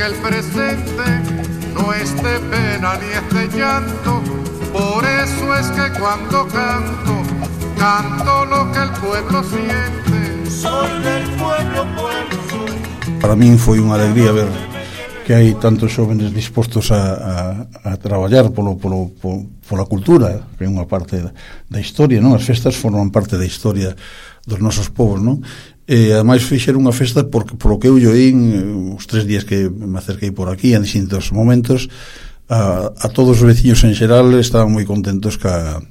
que el presente no es de pena ni es de llanto. Por eso es que cuando canto, canto lo que el pueblo siente. Soy del pueblo, pueblo soy. Para min foi unha alegría ver que hai tantos xóvenes dispostos a traballar pola cultura, que é unha parte da historia, non? As festas forman parte da historia dos nosos povos, non? E ademais fixeron unha festa polo que eu oín os 3 días que me acerquei por aquí en distintos momentos, a todos os veciños en xeral estaban moi contentos ca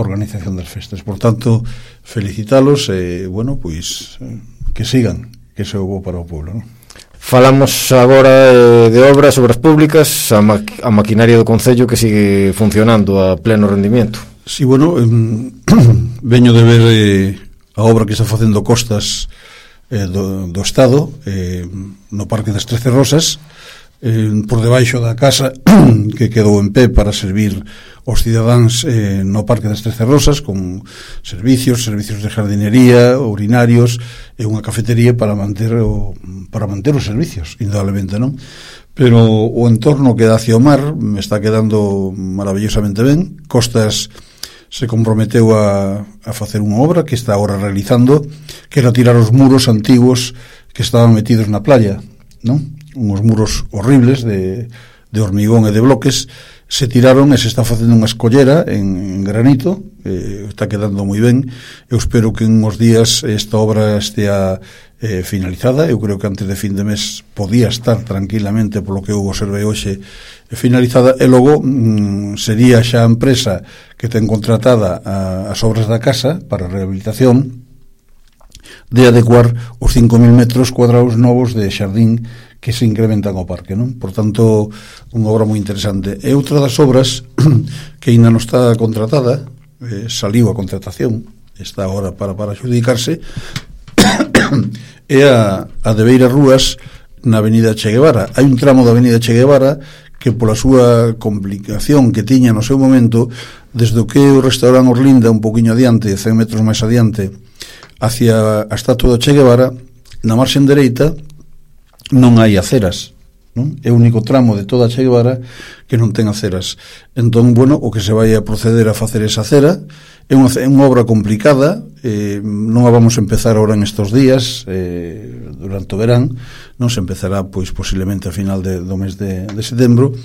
organización das festas. Por tanto, felicitalos e, bueno, pois que sigan, que se bo para o pueblo, non? Falamos agora de obras públicas, a maquinaria do Concello que sigue funcionando a pleno rendimiento. Sí, bueno, veño de ver a obra que está facendo Costas do Estado no Parque das 13 Rosas, por debaixo da casa que quedou en pé para servir os cidadáns no Parque das 13 Rosas, con servicios de jardinería, urinarios e unha cafetería para manter os servicios, indudablemente, non? Pero o entorno que dá hacia o mar me está quedando maravillosamente ben. Costas se comprometeu a facer unha obra que está agora realizando, que era tirar os muros antigos que estaban metidos na playa, non? Uns muros horribles de hormigón e de bloques, se tiraron e se está facendo unha escollera en granito, está quedando moi ben. Eu espero que en uns días esta obra estea finalizada. Eu creo que antes de fin de mes podía estar tranquilamente, polo que eu observei hoxe, finalizada, e logo sería xa a empresa que ten contratada as obras da casa para a rehabilitación de adecuar os 5.000 metros cuadrados novos de xardín que se incrementan ao parque, non? Por tanto, unha obra moi interesante. E outra das obras que ainda non está contratada, saliu a contratación, está agora para adjudicarse, é a de Beiras Rúas na avenida Che Guevara. Hai un tramo da avenida Che Guevara que pola súa complicación que tiña no seu momento, desde o que o restaurante Orlinda un poquinho adiante, 100 metros máis adiante, hacia a estatua do Che Guevara, na marxen dereita non hai aceras, non? É o único tramo de toda a Che Guevara que non ten aceras. Entón, bueno, o que se vai a proceder a facer esa acera é unha obra complicada, non a vamos a empezar agora en estos días, durante o verán, non se empezará pois posiblemente a final do mes de setembro,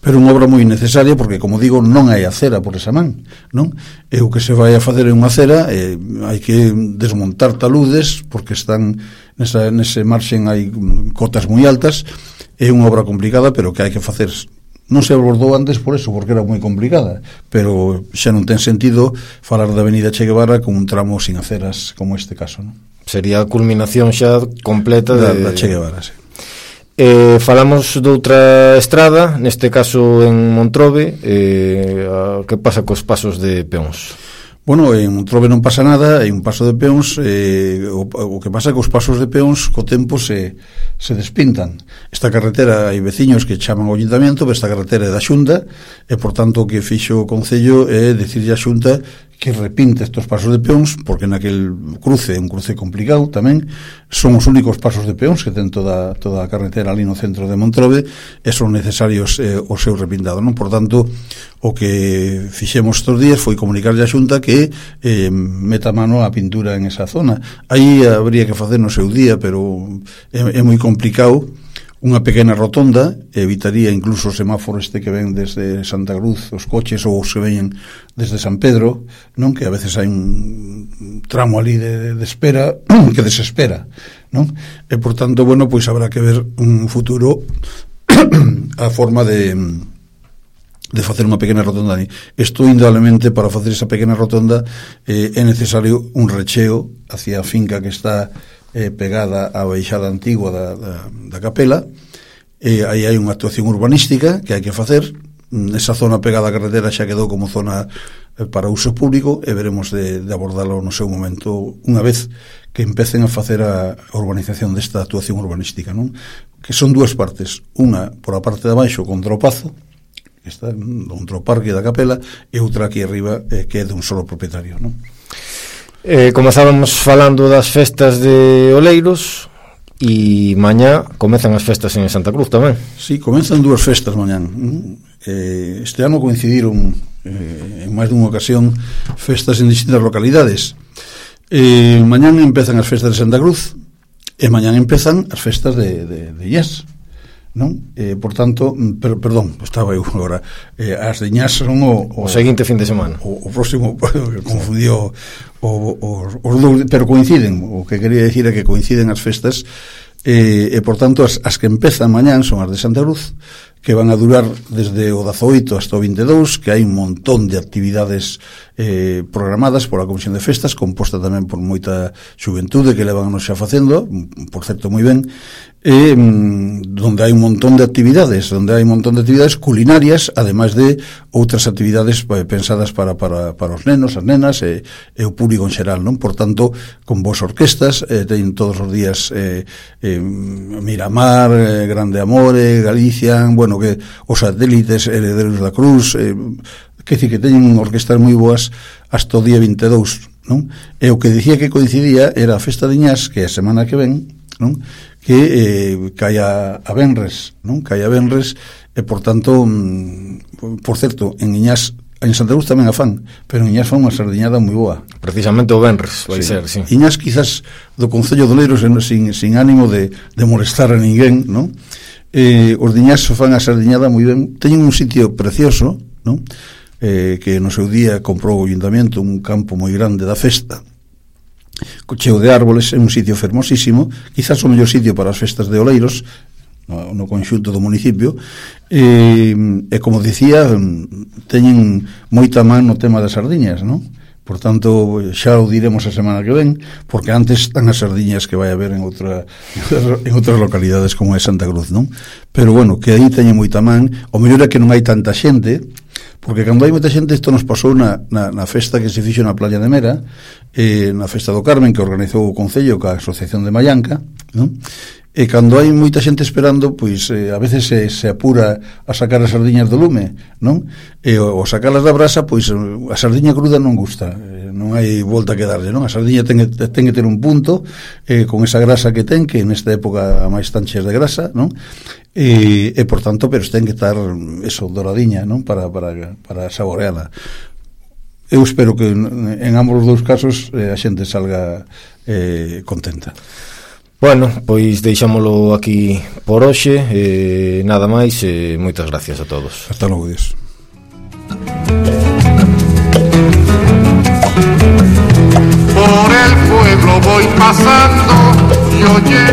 pero unha obra moi necesaria porque, como digo, non hai acera por esa man, non? E o que se vai a facer é unha acera, hai que desmontar taludes porque están nese marxen, hai cotas moi altas, é unha obra complicada, pero que hai que facer. Non se abordou antes por eso, porque era moi complicada, pero xa non ten sentido falar da avenida Che Guevara con un tramo sin aceras como este caso, non? Sería a culminación xa completa da Che Guevara, sí. Falamos doutra estrada, neste caso en Montrobe. Que pasa cos pasos de peóns? Bueno, en Montrobe non pasa nada, hai un paso de peóns, o que pasa é que os pasos de peóns co tempo se despintan. Esta carretera hai veciños que chaman ao ayuntamiento, pero esta carretera é da Xunta, e por tanto o que fixo o Concello é dicirlle a Xunta que repinte estos pasos de peóns, porque naquel cruce, un cruce complicado tamén, son os únicos pasos de peóns que ten toda a carretera ali no centro de Montrobe, e son necesarios o seu repintado, non? Por tanto, o que fixemos estos días foi comunicarlle a Xunta que meta mano a pintura en esa zona. Aí habría que facer no seu día, pero é moi complicado. Unha pequena rotonda evitaría incluso o semáforo este que ven desde Santa Cruz, os coches, ou os que veñen desde San Pedro, non? Que a veces hai un tramo ali de espera que desespera, non? E por tanto, bueno, pois habrá que ver un futuro a forma de facer unha pequena rotonda ali. Isto, indudablemente, para facer esa pequena rotonda é necesario un recheo hacia a finca que está pegada á baixada antigua da capela. Aí hai unha actuación urbanística que hai que facer. Esa zona pegada á carretera xa quedou como zona para uso público, e veremos de abordalo no seu momento unha vez que empecen a facer a urbanización desta actuación urbanística, non? Que son dúas partes, unha por a parte de abaixo contra o Pazo, que está contra o parque da capela, e outra aquí arriba que é de un solo propietario, non? Comezábamos falando das festas de Oleiros. E mañá comezan as festas en Santa Cruz tamén. Sí, comenzan dúas festas mañán. Este ano coincidiron en máis dunha ocasión festas en distintas localidades. Mañán empezan as festas de Santa Cruz e mañán empezan as festas de Iñás, non? Por tanto, perdón, estaba eu agora, as de Iñás son o seguinte fin de semana, o próximo, confundió os dous, pero coinciden. O que quería dicir é que coinciden as festas, e por tanto as que empezan mañán son as de Santa Cruz, que van a durar desde o 18 hasta o 22, que hai un montón de actividades programadas pola Comisión de Festas, composta tamén por moita xuventude que levan anos xa facendo, por certo moi ben, donde hai un montón de actividades culinarias, ademais de outras actividades pensadas para os nenos, as nenas e o público en xeral, non? Por tanto, con vos orquestas, teñen todos os días Miramar, Grande Amore, Galicia, bueno, que os satélites, Herederos da Cruz, que dicir que teñen orquestas moi boas hasta o día 22, non? E o que dicía que coincidía era a festa de Iñás, que é a semana que ven, non? Que caia a Benres, non? Caia a Benres, e por tanto, por certo, en Iñás, en Santa Cruz tamén a fan, pero en Iñás fan unha sardiñada moi boa. Precisamente o Benres vai ser, sí. Iñás quizás do Concello de Oleiros sin ánimo de molestar a ninguén, non? Os de Iñás fan a sardiñada moi ben. Teñen un sitio precioso, non? Que no seu día comprou o Ayuntamiento un campo moi grande da festa, cheo de árboles, é un sitio fermosísimo, quizás o mellor sitio para as festas de Oleiros no conxunto do municipio, e como dicía, teñen moita man no tema das sardiñas, non? Por tanto, xa o diremos a semana que ven, porque antes están as sardiñas que vai haber en outras localidades como é Santa Cruz, non? Pero bueno, que aí teñen moita man. O mellor é que non hai tanta xente, porque cando hai moita xente, isto nos pasou na festa que se fixo na Playa de Mera, na festa do Carmen, que organizou o Concello ca Asociación de Mallanca, non? E cando hai moita xente esperando, pois a veces se apura a sacar as sardiñas do lume, non? E o sacalas da brasa, pois a sardiña cruda non gusta, non hai volta que darlle, non? A sardiña ten que ter un punto, con esa grasa que ten, que nesta época a máis tan cheas de grasa, non? E por tanto, pero ten que estar eso, doradiña, non? Para saboreala. Eu espero que en ambos os dous casos a xente salga contenta. Bueno, pois deixámolo aquí por hoxe, nada máis, moitas gracias a todos. Hasta logo, Dios. Por el pueblo voy pasando y oye